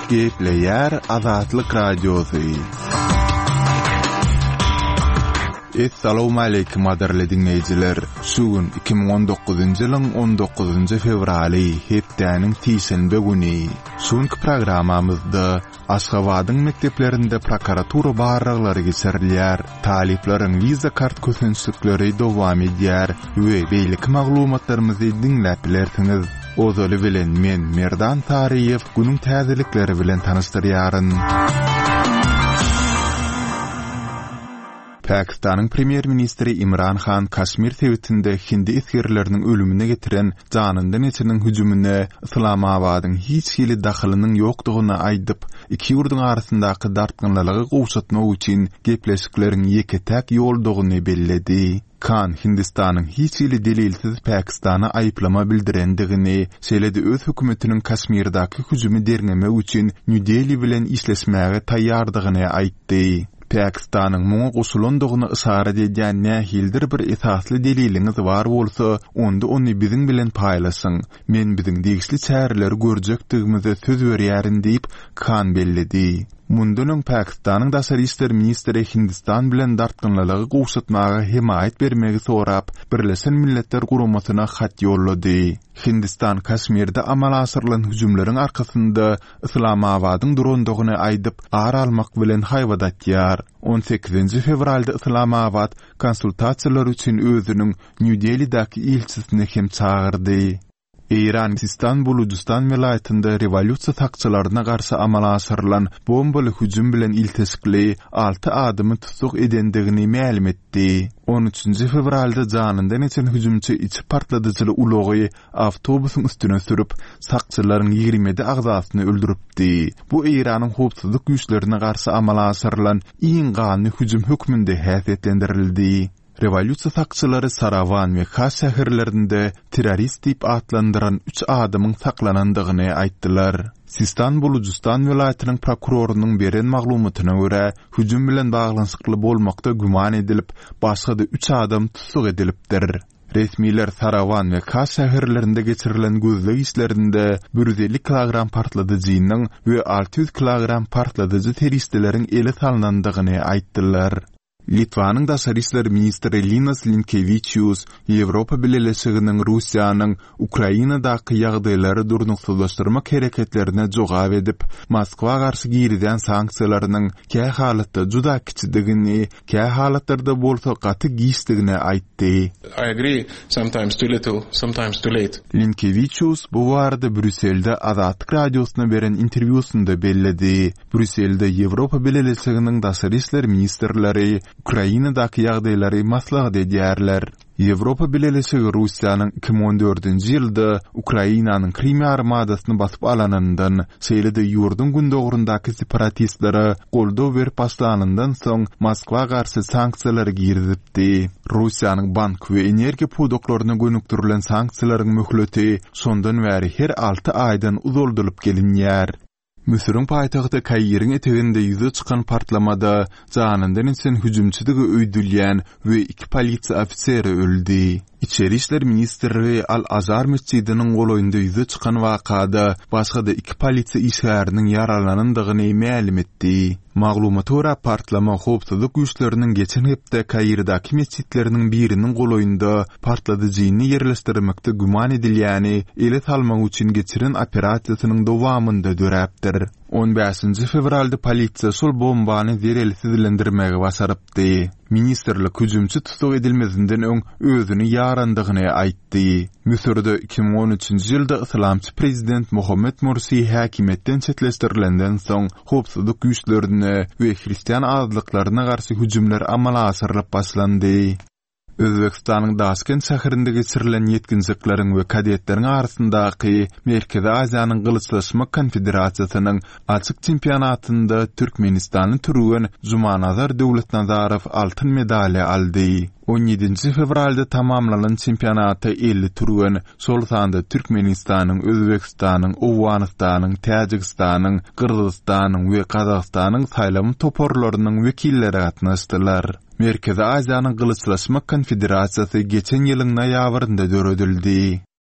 Gepleýär Azatlyk Radiosy. Essalawmaleýkim gadyrly diňleýjiler! Şu gün 2019-njy ýylyň 19-njy fewraly, hepdäniň sişenbe güni. Şu günki programmamyzda Aşgabadyň mekdeplerinde prokuratura barlaglary geçirilýär, talyplaryň wiza kart kösençlikleri dowam edýär we beýleki maglumatlarymyzy diňläp bilersiňiz. Ozaly bilen men, Merdan Saryýew, günüň täzelikleri bilen tanyşdyrýaryn. Pakistanyň premýer-ministri Imran Han Kaşmir sebitinde hindi esgerleriniň ölümine getiren janyndan geçeniň hüjümine Yslamabadyň hiç hili dahylynyň ýokdugyny aýdyp, iki ýurduň arasyndaky dartgynlylygy gowşatmak üçin gepleşikleriň ýeke-täk ýoldugyny belledi. Khan Hindistanyň hiç hili delilsiz Pakistana aýyplama bildirendigini, şeýle-de öz hökümetiniň Kaşmirdäki hüjümi derňemek üçin Nýu-Deli bilen işleşmäge taýýardygyny aýtdy. Pakistanyň muňa goşulandygyna yşarat edýän nähilidir bir esasly deliliňiz bar bolsa, onda ony biziň bilen paýlaşyň. Men biziň degişli çäreleri görjekdigimize söz berýärin diýip, Khan belledi. Mundan öň Pakistanyň daşary işler ministri Hindistan bilen dartgynlylygy gowşatmaga hemaýat bermegi sorap, Birleşen Milletler Guramasyna hat ýollady. Hindistan Kaşmirde amala aşyrylan hüjümleriň arkasynda Yslamabadyň durandygyny aýdyp, ar almak bilen haýbat atýar. On sekizinji fewralda Yslamabat konsultasiýalar üçin özüniň Nýu-Delidäki ilçisini hem çagyrdy. Eýran Sistan-Bulujystan welaýatynda rewolýusiýa sakçylaryna garşy amala aşyrylan bombaly hüjüm bilen ilteşikli alty adamy tussag edendigini mälim etdi. On üçünji fewralda janyndan geçen hüjümçi içi partladyjyly ulagy awtobusyň üstüne sürüp, sakçylaryň 27 agzasyny öldüripdi. Bu Eýranyň howpsuzlyk güýçlerine garşy amala aşyrylan iň ganly hüjüm hökmünde häsiýetlendirildi. Rewolýusiýa sakçylary Sarawan we Kaş şäherlerinde terrorist diýip atlandyran üç adamyň saklanandygyny aýtdylar. Sistan-Bulujystan welaýatynyň prokurorynyň beren maglumatyna görä, hüjüm bilen baglanyşykly bolmakda güman edilip, başga-da üç adam tussag edilipdir. Resmiler Sarawan we Kaş şäherlerinde geçirilen gözleg işlerinde 150 kilogram partladyjynyň we 600 kilogram partladyjy serişdeleriň ele salnandygyny aýtdylar. Litwanyň daşary işler ministri Linas Linkewiçius Ýewropa Bileleşiginiň Russiýanyň Ukrainadaky ýagdaýlary durnuksyzlaşdyrmak hereketlerine jogap edip, Moskwa garşy girizýän sanksiýalarynyň kähalatda juda kiçidigini kä halatlarda bolsa gaty giçdigini aýtdy. I agree, sometimes too little, sometimes too late. Linkewiçius bu barada Brýusselde Azatlyk Radiosyna beren interwýusynda belledi. Brýusselde Ýewropa Bileleşiginiň daşary işler ministrleri Ukrainadaky ýagdaýlary maslahat edýärler. Ýewropa Bileleşigi Russiýanyň 2014-nji ýylda Ukrainanyň Krym ýarymadasyny basyp alanyndan, şeýle-de ýurduň gündogaryndaky separatistlere goldaw berip başlanyndan soň Moskwa garşy sanksiýalary girizipdi. Russiýanyň bank we energiýa pudaklaryna gönükdirilen sanksiýalaryň möhleti şondan bäri her alty aýdan uzaldylyp gelinýär. Müsüriň paýtagty Kairiň eteginde ýüze çykan partlamada janyndan geçen hüjümçidigi öýdülýän we iki polisiýa ofiseri öldi. Içeri işler ministrligi Al-Azhar metjidiniň golaýynda ýüze çykan wakada başga-da iki polisiýa işgäriniň ýaralanandygyny mälim etdi. Maglumata görä, partlama howpsuzlyk güýçleriniň geçen hepde Kairdäki metjitleriniň biriniň golaýynda partladyjyny ýerleşdirmekde güman edilýäni ele salmak üçin geçiren operasiýasynyň dowamynda döräpdir. On bäşinji fewralda polisiýa şol bombany zerelsizlendirmegi başarypdy. Ministrlik hüjümçi tussag edilmezinden öň özüni ýarandygyny aýtdy. Müsürde 2013-nji ýylda yslamçy prezident Mohammed Mursi häkimiýetden çetleşdirilenden soň, howpsuzlyk güýçlerine we hristian azlyklaryna garşy hüjümler amala aşyrylyp başlandy. Özbegistanyň Daşkent şäherinde geçirilen ýetginjekleriň we kadetleriň arasyndaky Merkezi Aziýanyň gylyçlaşmak konfederasiýasynyň açyk çempionatynda türkmenistanly türgen Jumanazar Döwletnazarow altyn medaly aldy. On ýedinji fewralda tamamlanan çempionata 50 türgen, şol sanda Türkmenistanyň, Özbegistanyň, Owganystanyň, Täjigistanyň, Gyrgyzystanyň we Gazagystanyň saýlama toparlarynyň wekilleri gatnaşdylar. Merkezi Aziýanyň gylyçlaşmak konfederasiýasy geçen ýylyň noýabrynda döredildi.